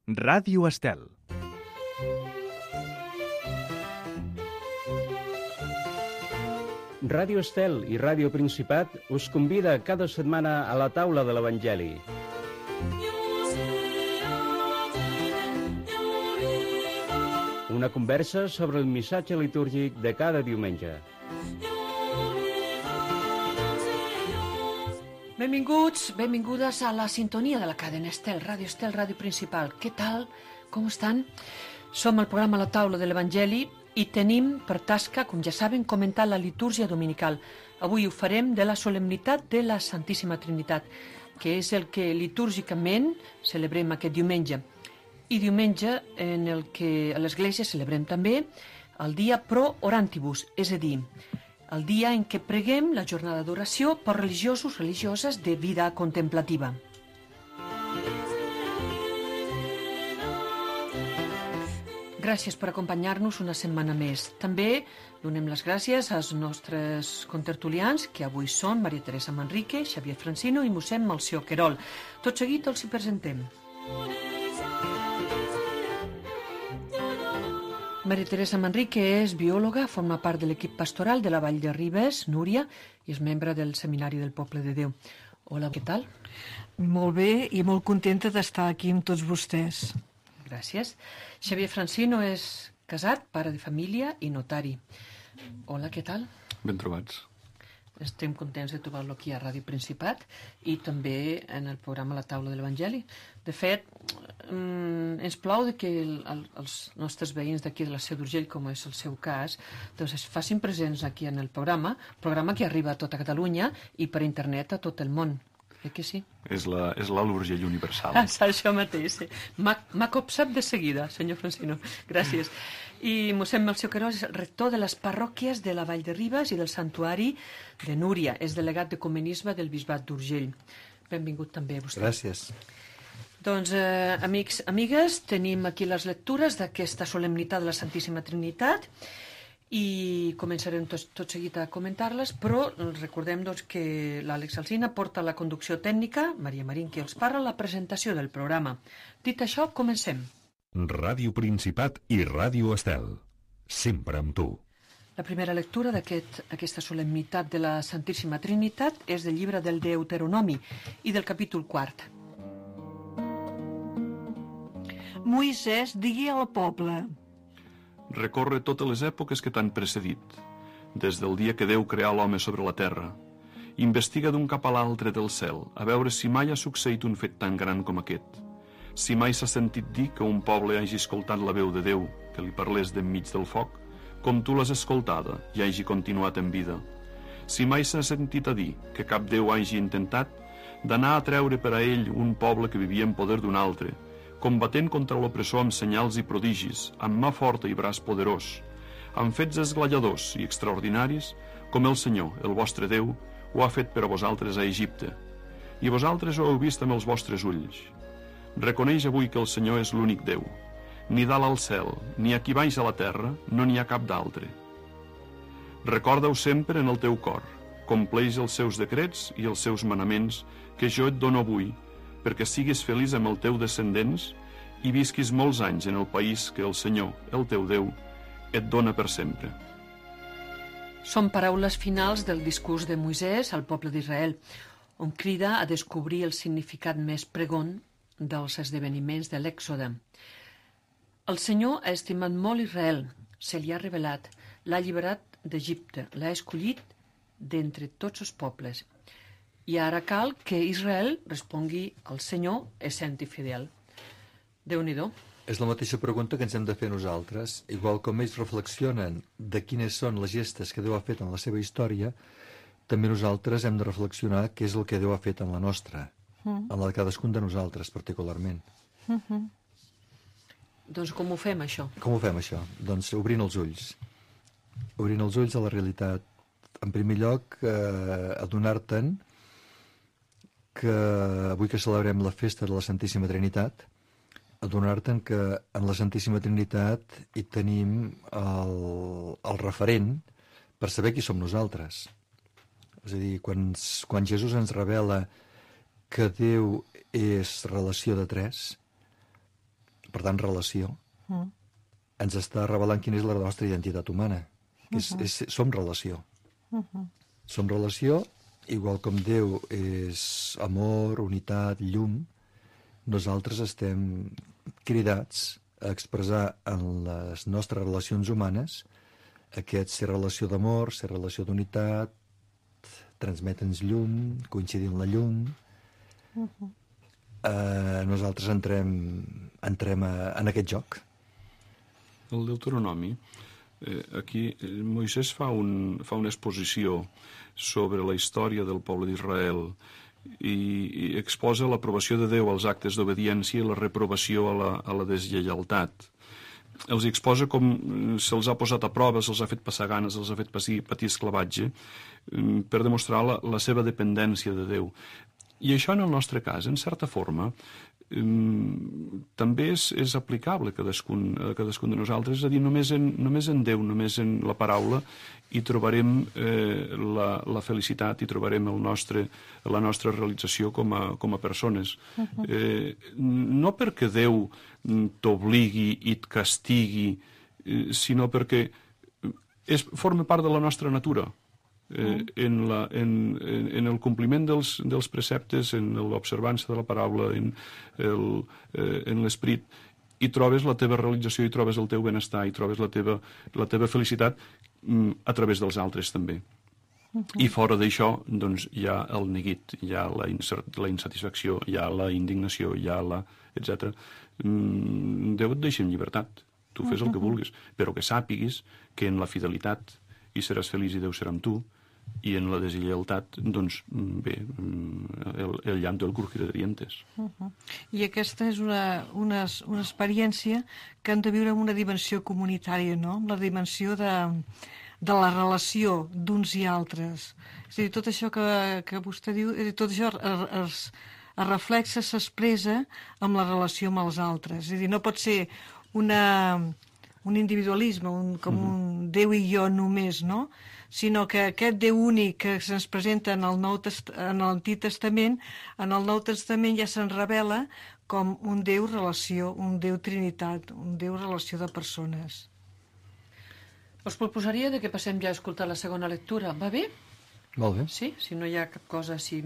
Ràdio Estel. Ràdio Estel i Ràdio Principat us convida cada setmana a la taula de l'Evangeli. Una conversa sobre el missatge litúrgic de cada diumenge. Benvinguts, benvingudes a la sintonia de la cadena Estel, Ràdio Principal. Què tal? Com estan? Som al programa La Taula de l'Evangeli i tenim per tasca, com ja saben, comentar la litúrgia dominical. Avui ho farem de la solemnitat de la Santíssima Trinitat, que és el que litúrgicament celebrem aquest diumenge. I diumenge en el que a l'Església celebrem també el dia Pro Orantibus, és a dir, el dia en què preguem la jornada d'oració per religiosos, religioses de vida contemplativa. Gràcies per acompanyar-nos una setmana més. També donem les gràcies als nostres contertulians, que avui són Maria Teresa Manrique, Xavier Francino i mossèn Melcior Querol. Tot seguit els hi presentem. Maria Teresa Manrique és biòloga, forma part de l'equip pastoral de la Vall de Ribes, Núria, i és membre del Seminari del Poble de Déu. Hola, què tal? Molt bé i molt contenta d'estar aquí amb tots vostès. Gràcies. Xavier Francino és casat, pare de família i notari. Hola, què tal? Ben trobats. Estem contents de trobar-lo aquí a Ràdio Principat i també en el programa La Taula de l'Evangeli. De fet, ens plau que els nostres veïns d'aquí de la Seu d'Urgell, com és el seu cas, doncs es facin presents aquí en el programa que arriba a tota Catalunya i per internet a tot el món. Que sí? És l'Alt Urgell universal. Això mateix. M'ha copsat de seguida, senyor Francino. Gràcies. I mossèn Melcior Querol és rector de les parròquies de la Vall de Ribes i del Santuari de Núria. És delegat d'Ecumenisme del Bisbat d'Urgell. Benvingut també vostè. Gràcies. Doncs, amics, amigues, tenim aquí les lectures d'aquesta solemnitat de la Santíssima Trinitat i començarem tot seguit a comentar-les, però recordem doncs, que l'Àlex Alsina porta la conducció tècnica, Maria Marín que els parla la presentació del programa. Dit això, comencem. Ràdio Principat i Ràdio Estel. Sempre amb tu. La primera lectura d'aquesta solemnitat de la Santíssima Trinitat és del llibre del Deuteronomi i del capítol 4. Moisès digui al poble: Recorre totes les èpoques que t'han precedit, des del dia que Déu creà l'home sobre la terra. Investiga d'un cap a l'altre del cel, a veure si mai ha succeït un fet tan gran com aquest. Si mai s'ha sentit dir que un poble hagi escoltat la veu de Déu, que li parlés d'enmig del foc, com tu l'has escoltada i hagi continuat en vida. Si mai s'ha sentit a dir que cap Déu hagi intentat d'anar a treure per a ell un poble que vivia en poder d'un altre, combatent contra l'opressor amb senyals i prodigis, amb mà forta i braç poderós, amb fets esglaiadors i extraordinaris, com el Senyor, el vostre Déu, ho ha fet per a vosaltres a Egipte. I vosaltres ho heu vist amb els vostres ulls. Reconeix avui que el Senyor és l'únic Déu. Ni dalt al cel, ni aquí baix a la terra, no n'hi ha cap d'altre. Recorda-ho sempre en el teu cor, compleix els seus decrets i els seus manaments que jo et dono avui, perquè siguis feliç amb el teu descendents i visquis molts anys en el país que el Senyor, el teu Déu, et dona per sempre. Són paraules finals del discurs de Moisès al poble d'Israel, on crida a descobrir el significat més pregon dels esdeveniments de l'Èxode. El Senyor ha estimat molt Israel, se li ha revelat, l'ha alliberat d'Egipte, l'ha escollit d'entre tots els pobles. I ara cal que Israel respongui al Senyor essent-hi fidel. Déu-n'hi-do. És la mateixa pregunta que ens hem de fer nosaltres. Igual com ells reflexionen de quines són les gestes que Déu ha fet en la seva història, també nosaltres hem de reflexionar què és el que Déu ha fet en la nostra, en la de cadascun de nosaltres particularment. Doncs com ho fem, això? Com ho fem, això? Doncs obrint els ulls. Obrint els ulls a la realitat. En primer lloc, adonar-te'n que avui que celebrem la festa de la Santíssima Trinitat, adonar-te'n que en la Santíssima Trinitat hi tenim el referent per saber qui som nosaltres. És a dir, quan Jesús ens revela que Déu és relació de tres, per tant, relació. Ens està revelant quina és la nostra identitat humana. Som relació. Som relació, igual com Déu és amor, unitat, llum, nosaltres estem cridats a expressar en les nostres relacions humanes aquest ser relació d'amor, ser relació d'unitat, transmetre'ns llum, coincidir en la llum. Nosaltres entrem en aquest joc. El Deuteronomi, aquí Moisès fa una exposició sobre la història del poble d'Israel i exposa l'aprovació de Déu als actes d'obediència i la reprovació a la deslleialtat. Els exposa com se'ls ha posat a prova, se'ls ha fet passar ganes, se'ls ha fet patir esclavatge per demostrar la seva dependència de Déu. I això en el nostre cas, en certa forma, també és aplicable a cadascun de nosaltres, és a dir, només en Déu, només en la paraula, hi trobarem la felicitat, hi trobarem la nostra realització com a persones. No perquè Déu t'obligui i et castigui, sinó perquè forma part de la nostra natura. En el compliment dels preceptes, en l'observança de la paraula, en l'esperit, hi trobes la teva realització, hi trobes el teu benestar, hi trobes la teva felicitat a través dels altres també. I fora d'això, doncs, hi ha el neguit, hi ha la insatisfacció, hi ha la indignació, hi ha etc. Déu et deixa en llibertat, tu fes el que vulguis, però que sàpiguis que en la fidelitat hi seràs feliç i Déu serà amb tu, i en la deslleialtat, doncs, bé, el llanto del crujir de dientes. I aquesta és una experiència que han de viure en una dimensió comunitària, no? La dimensió de la relació d'uns i altres. És a dir, tot això que vostè diu, tot això es reflexa, s'expressa amb la relació amb els altres. És a dir, no pot ser un individualisme, com un Déu i jo només, no? Sinó que aquest Déu únic que se'ns presenta en l'Antic Testament, en el Nou Testament ja se'n revela com un Déu relació, un Déu trinitat, un Déu relació de persones. Us proposaria que passem ja a escoltar la segona lectura. Va bé? Molt bé. Sí? Si no hi ha cap cosa així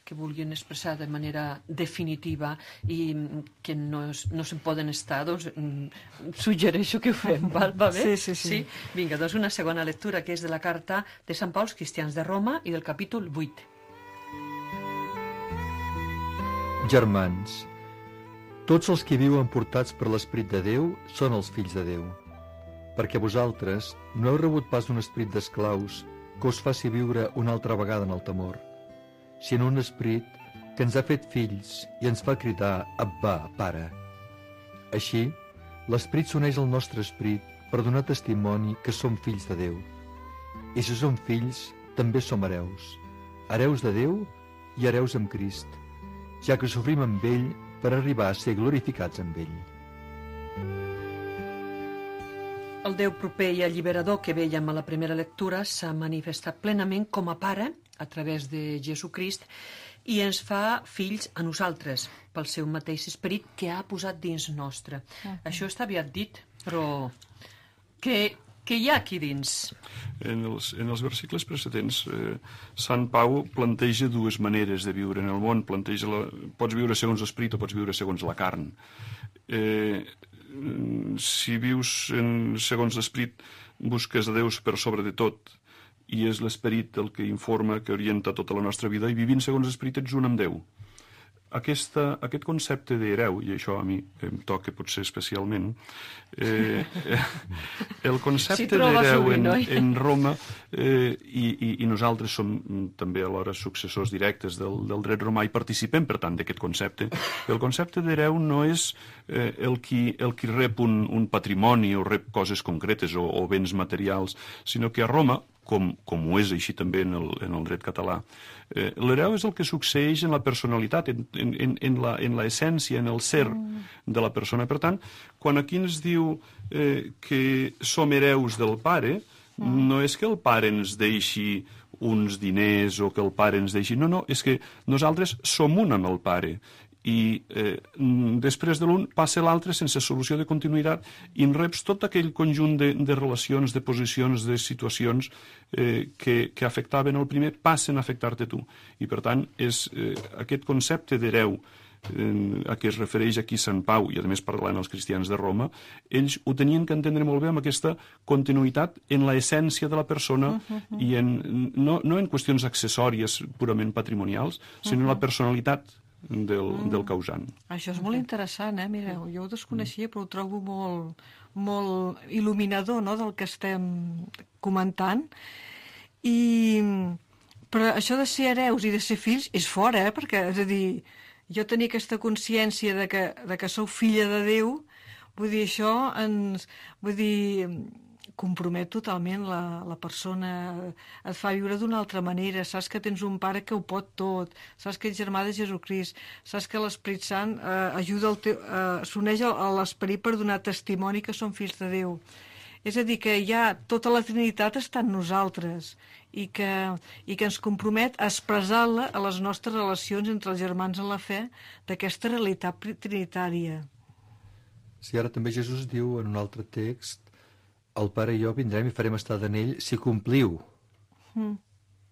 que vulguin expressar de manera definitiva i que no se'n poden estar, doncs suggereixo que ho fem, va bé? Sí. Vinga, doncs una segona lectura que és de la carta de Sant Pau als cristians de Roma i del capítol 8. Germans, tots els que viuen portats per l'Esperit de Déu són els fills de Déu, perquè vosaltres no heu rebut pas un esperit d'esclaus que us faci viure una altra vegada en el temor, sinó un esperit que ens ha fet fills i ens fa cridar Abba, Pare. Així, l'esperit s'uneix al nostre esperit per donar testimoni que som fills de Déu. I si som fills, també som hereus de Déu i hereus amb Crist, ja que sofrim amb ell per arribar a ser glorificats amb ell. El Déu proper i alliberador que vèiem a la primera lectura s'ha manifestat plenament com a Pare a través de Jesucrist i ens fa fills a nosaltres pel seu mateix esperit que ha posat dins nostre. Això està aviat dit, però què hi ha aquí dins? En els versicles precedents, Sant Pau planteja dues maneres de viure en el món. Pots viure segons l'esperit o pots viure segons la carn. Si vius segons l'esperit, busques a Déu per sobre de tot, i és l'esperit el que informa, que orienta tota la nostra vida, i vivint segons l'esperit ets un amb Déu. Aquest concepte d'hereu, i això a mi em toca potser especialment, el concepte d'hereu en Roma, i nosaltres som també alhora successors directes del dret romà i participem, per tant, d'aquest concepte. El concepte d'hereu no és el qui rep un patrimoni o rep coses concretes o béns materials, sinó que a Roma, com ho és així també en el dret català, l'hereu és el que succeeix en la personalitat, en l'essència, en el ser de la persona. Per tant, quan aquí ens diu que som hereus del pare, no és que el pare ens deixi uns diners o que el pare ens deixi... No, és que nosaltres som un amb el pare. i després de l'un passa l'altre sense solució de continuïtat i en reps tot aquell conjunt de relacions, de posicions, de situacions que afectaven el primer passen a afectar-te tu. I per tant és aquest concepte d'hereu a què es refereix aquí Sant Pau i a més parlant els cristians de Roma, ells ho tenien que entendre molt bé amb aquesta continuïtat en l'essència de la persona i no en qüestions accessòries purament patrimonials, sinó en la personalitat del causant. Això és molt interessant, mireu, jo ho desconeixia però ho trobo molt il·luminador, no?, del que estem comentant. Però això de ser hereus i de ser fills és fora, perquè, és a dir, jo tenia aquesta consciència de que sou filla de Déu, vull dir, això compromet totalment la persona, et fa viure d'una altra manera, saps que tens un pare que ho pot tot, saps que ets germà de Jesucrist, saps que l'Esprit Sant s'uneix a l'Esperit per donar testimoni que som fills de Déu. És a dir, que ja tota la Trinitat està en nosaltres i que ens compromet a expressar-la a les nostres relacions entre els germans en la fe d'aquesta realitat trinitària. Sí, ara també Jesús diu en un altre text: el Pare i jo vindrem i farem estar en ell si compliu.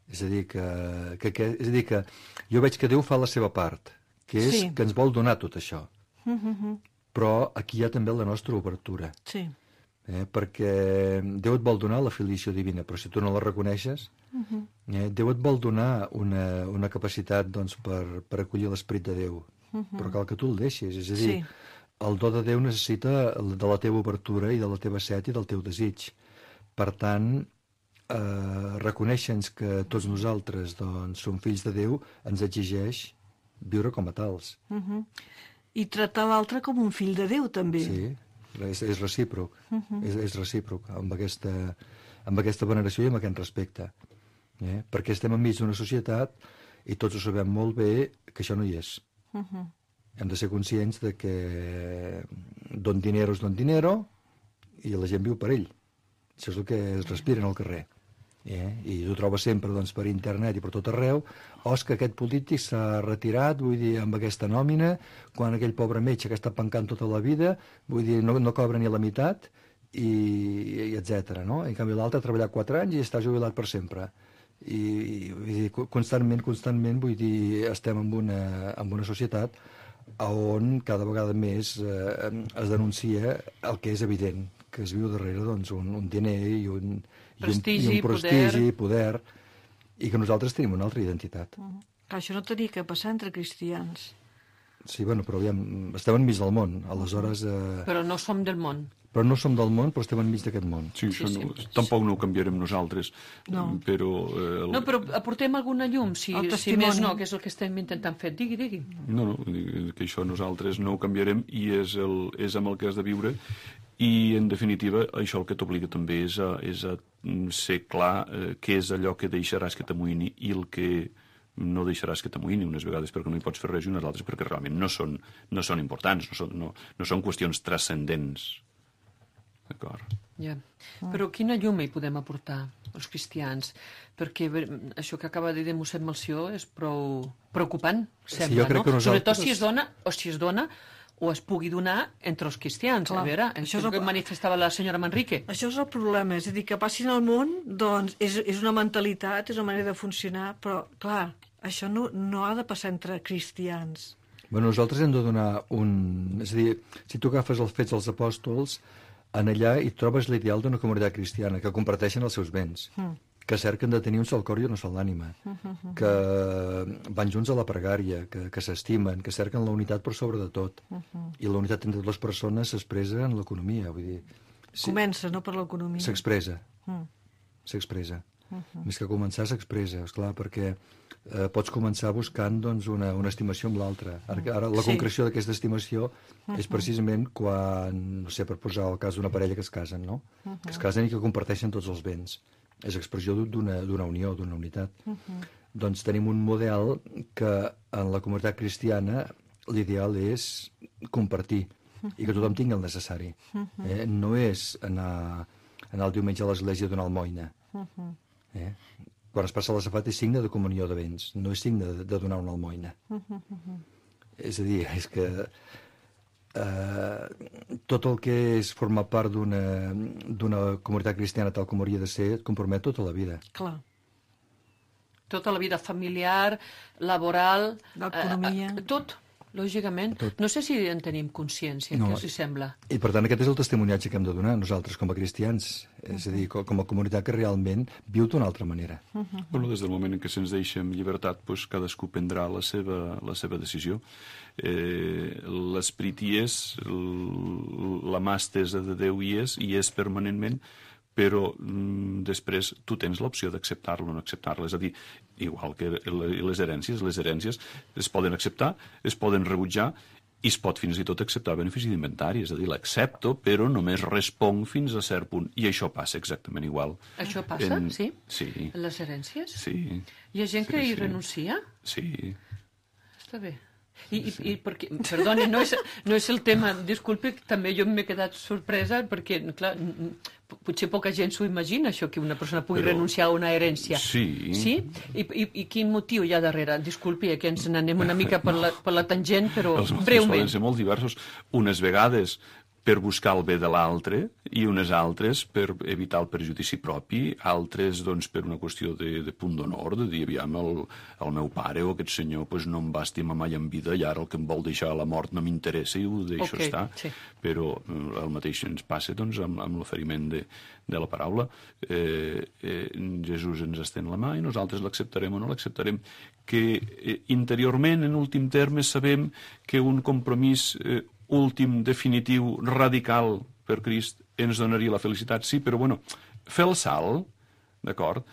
És a dir, que jo veig que Déu fa la seva part, que és que ens vol donar tot això. Però aquí hi ha també la nostra obertura. Sí. Perquè Déu et vol donar la filiació divina, però si tu no la reconeixes, Déu et vol donar una capacitat doncs, per acollir l'Esperit de Déu, però cal que tu el deixis. És a dir, el do de Déu necessita de la teva obertura i de la teva set i del teu desig. Per tant, reconèixer-nos que tots nosaltres doncs, som fills de Déu ens exigeix viure com a tals. I tractar l'altre com un fill de Déu, també. Sí, és recíproc. És recíproc amb aquesta veneració i amb aquest respecte. Perquè estem enmig d'una societat i tots ho sabem molt bé que això no hi és. Hem de ser conscients de que don dinero és don dinero i la gent viu per ell. Això és el que es respira en el carrer. I ho trobes sempre doncs, per internet i per tot arreu. És que aquest polític s'ha retirat, vull dir, amb aquesta nòmina, quan aquell pobre metge que està pencant tota la vida, vull dir, no cobra ni la meitat, i etc. No? En canvi l'altre ha treballat 4 anys i està jubilat per sempre. I vull dir, constantment, vull dir, estem en una societat on cada vegada més es denuncia el que és evident, que es viu darrere doncs, un diner i un prestigi, poder, i que nosaltres tenim una altra identitat. Això no tenia que passar entre cristians. Sí, bueno, però aviam, estem enmig del món, aleshores... Però no som del món. Però no som del món, però estem enmig d'aquest món. Sí, tampoc no ho canviarem nosaltres. No. Però... No, però aportem alguna llum, si més no, que és el que estem intentant fer. Digui. No, que això nosaltres no ho canviarem i és amb el que has de viure. I, en definitiva, això el que t'obliga també és a ser clar què és allò que deixaràs que t'amoïni i el que no deixaràs que t'amoïni, unes vegades perquè no hi pots fer res i unes altres perquè realment no són importants, no són qüestions transcendents. D'acord. Ja. Però quina llum hi podem aportar els cristians? Perquè això que acaba de dir mossèn Melcior és prou preocupant, sembla, jo crec que nosaltres... Sobretot si es dona o es pugui donar entre els cristians. Clar, a veure, això és el que manifestava la senyora Manrique. Això és el problema, és a dir, que passin al món, doncs, és una mentalitat, és una manera de funcionar, però, clar, això no ha de passar entre cristians. Bueno, nosaltres hem de donar És a dir, si tu agafes els Fets dels Apòstols, en allà hi trobes l'ideal d'una comunitat cristiana, que comparteixen els seus béns, que cerquen de tenir un sol cor i una sola ànima, que van junts a la pregària, que s'estimen, que cerquen la unitat per sobre de tot. I la unitat entre les persones s'expressa en l'economia. Vull dir, Comença, no per l'economia. S'expressa. Més que començar, s'expressa, esclar, perquè pots començar buscant doncs, una estimació amb l'altra. Ara la concreció d'aquesta estimació és precisament quan, no sé, per posar el cas d'una parella que es casen, no? Que es casen i que comparteixen tots els béns. És expressió d'una unió, d'una unitat. Doncs tenim un model que en la comunitat cristiana l'ideal és compartir i que tothom tingui el necessari. No és anar el diumenge a l'església a donar almoina. Quan es passa la safata és signe de comunió de béns, no és signe de donar una almoina. És a dir, és que tot el que és formar part d'una comunitat cristiana tal com hauria de ser et compromet tota la vida. Clar. Tota la vida familiar, laboral... L'economia. Tot, lògicament. Tot. No sé si en tenim consciència, No. què us hi sembla? I per tant aquest és el testimoniatge que hem de donar nosaltres com a cristians, és a dir, com a comunitat que realment viu d'una altra manera. Bueno, des del moment en què se'ns deixa amb llibertat, doncs cadascú prendrà la seva decisió. L'esperit hi és, la mà estesa de Déu hi és permanentment, però després tu tens l'opció d'acceptar-lo o no acceptar-lo. És a dir, igual que les herències es poden acceptar, es poden rebutjar i es pot fins i tot acceptar benefici d'inventari. És a dir, l'accepto, però només responc fins a cert punt. I això passa exactament igual. Això passa, sí? Sí. En les herències? Sí. Hi ha gent que hi renuncia? Sí. Està bé. I perquè, perdoni, no és el tema, disculpi, també jo m'he quedat sorpresa perquè, clar, potser poca gent s'ho imagina, això, que una persona pugui renunciar a una herència. Sí. Sí? I quin motiu hi ha darrere? Disculpi, que ens n'anem una mica per la tangent, però Els motius breument. poden ser molt diversos. Unes vegades per buscar el bé de l'altre i unes altres per evitar el perjudici propi, altres doncs, per una qüestió de punt d'honor, de dir, aviam, el meu pare o aquest senyor pues, no em va estimar mai en vida i ara el que em vol deixar a la mort no m'interessa i ho deixo estar. Sí. Però el mateix ens passa doncs, amb l'oferiment de la paraula. Jesús ens estén la mà i nosaltres l'acceptarem o no l'acceptarem. Que interiorment, en últim terme, sabem que un compromís últim, definitiu, radical per Crist ens donaria la felicitat, sí, però bueno, fer el salt, d'acord?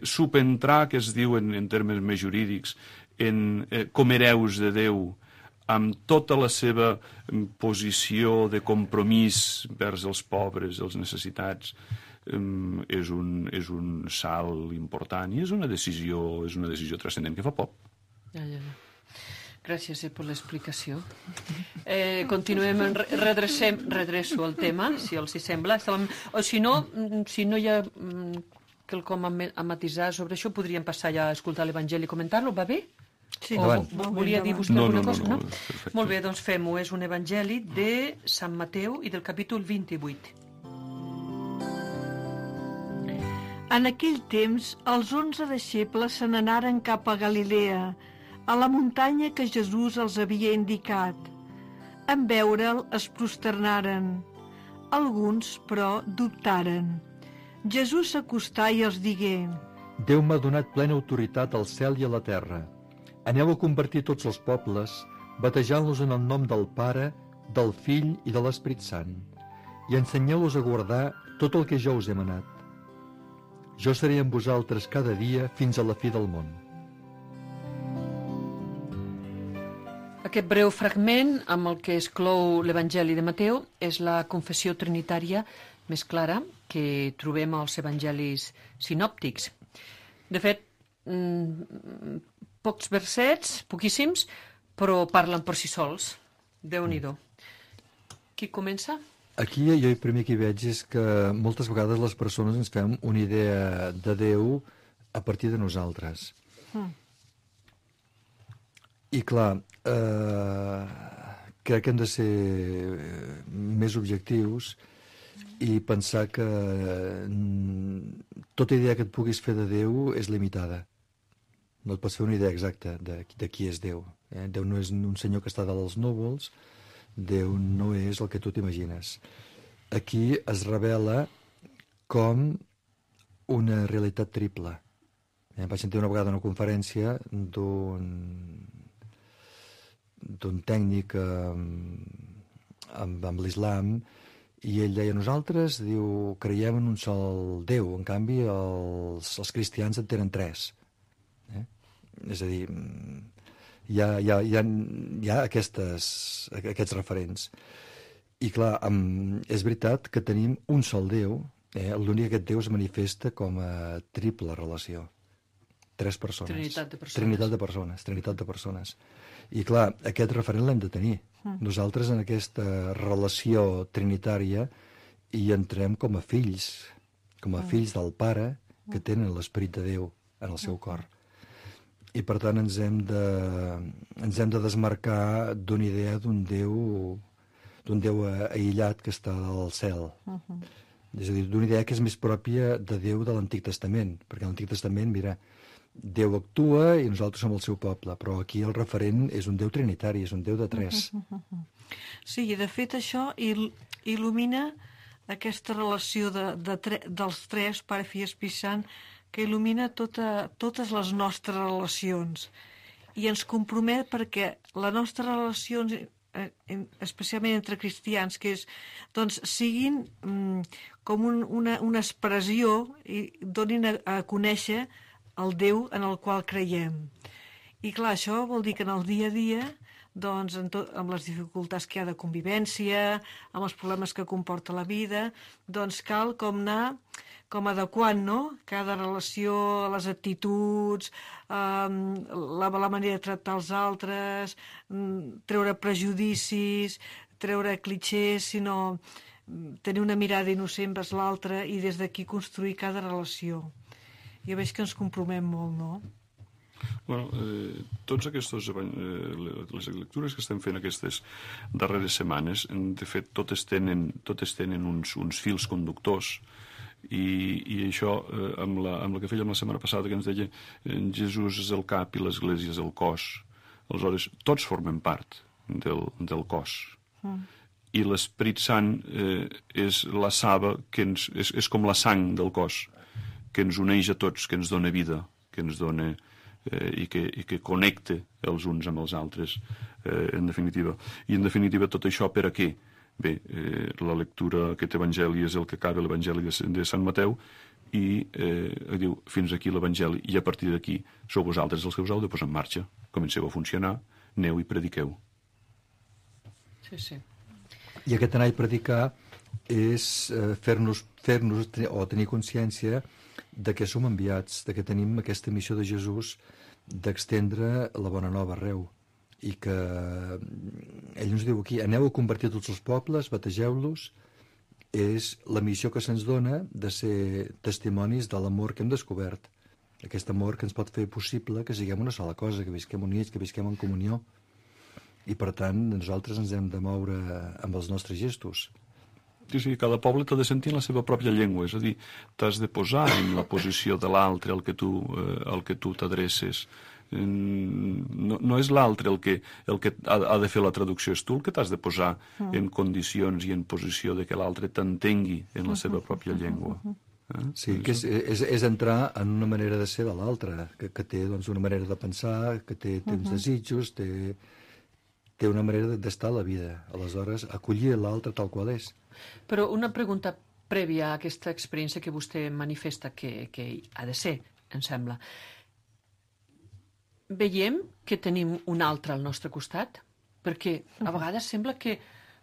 Subentrar, que es diu en termes més jurídics, com hereus de Déu, amb tota la seva posició de compromís vers els pobres, els necessitats, és un salt important i és una decisió transcendent que fa por. Ja. Gràcies per l'explicació. Continuem, redreço el tema, si els hi sembla. O si no hi ha quelcom a matisar sobre això, podríem passar ja a escoltar l'Evangeli i comentar-lo, va bé? Sí, Volia dir vostè alguna cosa? No, perfecte. Molt bé, doncs fem-ho. És un Evangeli de Sant Mateu i del capítol 28. En aquell temps, els 11 deixebles se n'anaren cap a Galilea, a la muntanya que Jesús els havia indicat. En veure'l es prosternaren. Alguns, però, dubtaren. Jesús s'acostà i els digué: Déu m'ha donat plena autoritat al cel i a la terra. Aneu a convertir tots els pobles, batejant-los en el nom del Pare, del Fill i de l'Esperit Sant, i ensenyeu-los a guardar tot el que jo us he manat. Jo seré amb vosaltres cada dia fins a la fi del món. Aquest breu fragment, amb el que es clou l'Evangeli de Mateu, és la confessió trinitària més clara que trobem als evangelis sinòptics. De fet, pocs versets, poquíssims, però parlen per si sols. Déu-n'hi-do. Qui comença? Aquí jo el primer que hi veig és que moltes vegades les persones ens fem una idea de Déu a partir de nosaltres. I clar, crec que hem de ser més objectius i pensar que tota idea que et puguis fer de Déu és limitada. No et pots fer una idea exacta de qui és Déu. Déu no és un senyor que està dalt dels núvols, Déu no és el que tu t'imagines. Aquí es revela com una realitat triple. Vaig sentir una vegada una conferència d'un tècnic amb l'islam i ell deia, nosaltres, diu, creiem en un sol Déu, en canvi els cristians en tenen 3. És a dir, hi ha aquests referents. I clar, és veritat que tenim un sol Déu, l'únic que aquest Déu es manifesta com a triple relació. 3 persones. Trinitat de persones. I clar, aquest referent l'hem de tenir. Nosaltres en aquesta relació trinitària hi entrem com a fills del Pare que tenen l'Esperit de Déu en el seu cor. i per tant ens hem de desmarcar d'una idea d'un Déu aïllat que està al cel. És a dir, d'una idea que és més pròpia de Déu de l'Antic Testament, perquè a l'Antic Testament, mira, Déu actua i nosaltres som el seu poble, però aquí el referent és un Déu trinitari, és un Déu de tres. Sí, i de fet això il·lumina aquesta relació dels tres, Pare, Fill i Espírit Sant, que il·lumina totes les nostres relacions i ens compromet perquè la nostra relació, especialment entre cristians, que és, doncs, siguin com una expressió i donin a conèixer el Déu en el qual creiem. I clar, això vol dir que en el dia a dia, doncs, amb les dificultats que hi ha de convivència, amb els problemes que comporta la vida, doncs cal anar adequant, no?, cada relació, les actituds, la manera de tractar els altres, treure prejudicis, treure clixés, sinó tenir una mirada innocent vers l'altre i des d'aquí construir cada relació. Jo veig que ens compromet molt, no? Bueno, tots aquests, les lectures que estem fent aquestes darreres setmanes, de fet, totes tenen uns fils conductors, i això, amb la que fèiem la setmana passada, que ens deia Jesús és el cap i l'Església és el cos. Aleshores, tots formem part del cos. I l'Esperit Sant és la saba, és com la sang del cos, que ens uneix a tots, que ens dona vida, que ens dona i que connecta els uns amb els altres, en definitiva. I en definitiva tot això per a què? Bé, la lectura, aquest evangeli és el que acaba l'evangeli de Sant Mateu i diu, fins aquí l'evangeli, i a partir d'aquí sou vosaltres els que us heu de posar en marxa. Comenceu a funcionar, aneu i prediqueu. Sí. I aquest anar i predicar és fer-nos o tenir consciència de que som enviats, de que tenim aquesta missió de Jesús d'extendre la bona nova arreu. I que ell ens diu aquí, aneu a convertir tots els pobles, bategeu-los, és la missió que se'ns dona de ser testimonis de l'amor que hem descobert. Aquest amor que ens pot fer possible que siguem una sola cosa, que visquem units, que visquem en comunió. I per tant, nosaltres ens hem de moure amb els nostres gestos. Sí, cada poble t'ha de sentir en la seva pròpia llengua, és a dir, t'has de posar en la posició de l'altre al que tu t'adreces. No és l'altre el que ha de fer la traducció, és tu el que t'has de posar en condicions i en posició de que l'altre t'entengui en la seva pròpia llengua. Sí, que és entrar en una manera de ser de l'altre, que té una manera de pensar, que té uns desitjos, té una manera d'estar a la vida. Aleshores, acollir l'altre tal qual és. Però una pregunta prèvia a aquesta experiència que vostè manifesta que ha de ser, em sembla. Veiem que tenim un altre al nostre costat? Perquè a vegades sembla que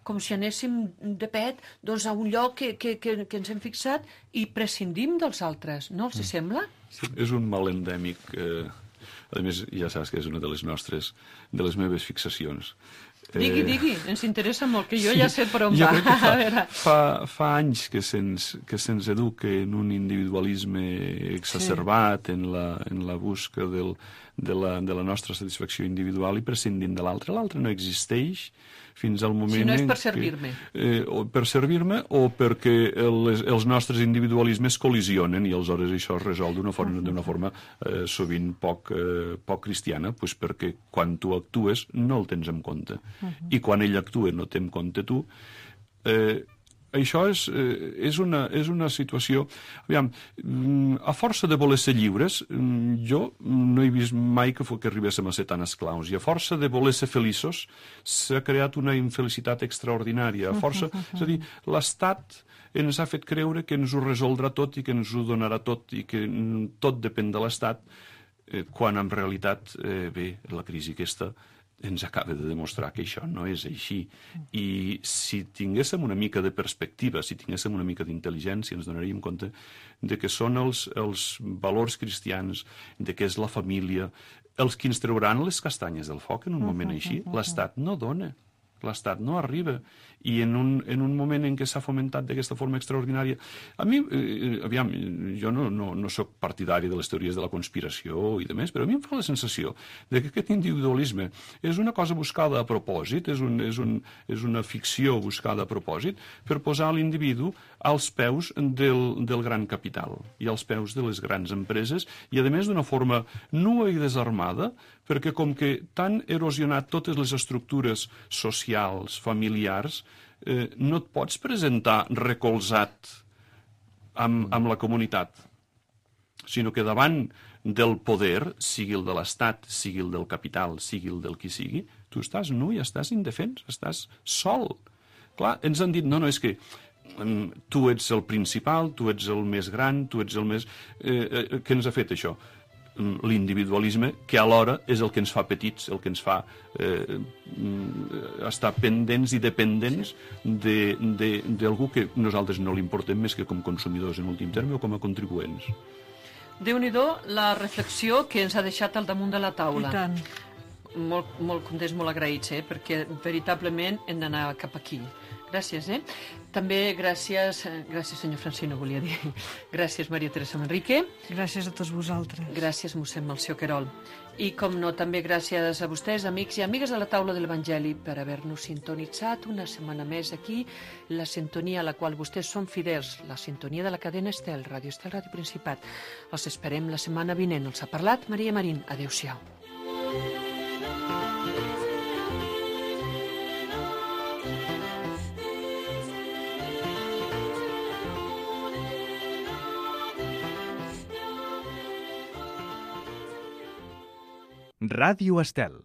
com si anéssim de pet doncs, a un lloc que ens hem fixat i prescindim dels altres. No els sembla? Sí, és un mal endèmic. A més, ja saps que és una de les meves fixacions. Digui, ens interessa molt, que jo ja sé per on va. Fa anys que se'ns educa en un individualisme exacerbat, en la busca de la nostra satisfacció individual i prescindint de l'altre. L'altre no existeix fins al moment... Si no és per servir-me. Per servir-me o perquè els nostres individualismes col·lisionen i aleshores això es resol d'una forma sovint poc cristiana, doncs perquè quan tu actues no el tens en compte. I quan ell actua no té en compte tu. Això és una situació... Aviam, a força de voler ser lliures, jo no he vist mai que arribéssim a ser tan esclaus. I a força de voler ser feliços s'ha creat una infelicitat extraordinària. És a dir, l'Estat ens ha fet creure que ens ho resoldrà tot i que ens ho donarà tot i que tot depèn de l'Estat, quan en realitat, la crisi aquesta ens acaba de demostrar que això no és així. I si tinguéssim una mica de perspectiva, si tinguéssim una mica d'intel·ligència, ens donaríem compte de que són els valors cristians, de que és la família, els que ens trauran les castanyes del foc en un moment així. L'Estat no dona. L'Estat no arriba. I en un moment en què s'ha fomentat d'aquesta forma extraordinària... A mi, aviam, jo no soc partidari de les teories de la conspiració i de més, però a mi em fa la sensació de que aquest individualisme és una cosa buscada a propòsit, és una ficció buscada a propòsit per posar l'individu als peus del gran capital i als peus de les grans empreses i, a més, d'una forma nua i desarmada, perquè com que t'han erosionat totes les estructures socials, familiars, no et pots presentar recolzat amb la comunitat, sinó que davant del poder, sigui el de l'Estat, sigui el del capital, sigui el del qui sigui, tu estàs nu i estàs indefens, estàs sol. Clar, ens han dit, no, és que tu ets el principal, tu ets el més gran, tu ets el més... Què ens ha fet això? L'individualisme, que alhora és el que ens fa petits, el que ens fa estar pendents i dependents d'algú que nosaltres no li importem més que com consumidors en últim terme o com a contribuents. Déu-n'hi-do la reflexió que ens ha deixat al damunt de la taula. I tant. Molt contents, molt agraïts, perquè veritablement hem d'anar cap aquí. Gràcies, També gràcies senyor Francino, volia dir. Gràcies, Maria Teresa Manrique. Gràcies a tots vosaltres. Gràcies, mossèn Melcior Querol. I, com no, també gràcies a vostès, amics i amigues de la taula de l'Evangeli, per haver-nos sintonitzat una setmana més aquí, la sintonia a la qual vostès són fidels, la sintonia de la cadena Estel, Ràdio Estel, Ràdio Principat. Els esperem la setmana vinent. Els ha parlat Maria Marín. Adéu-siau. Ràdio Estel.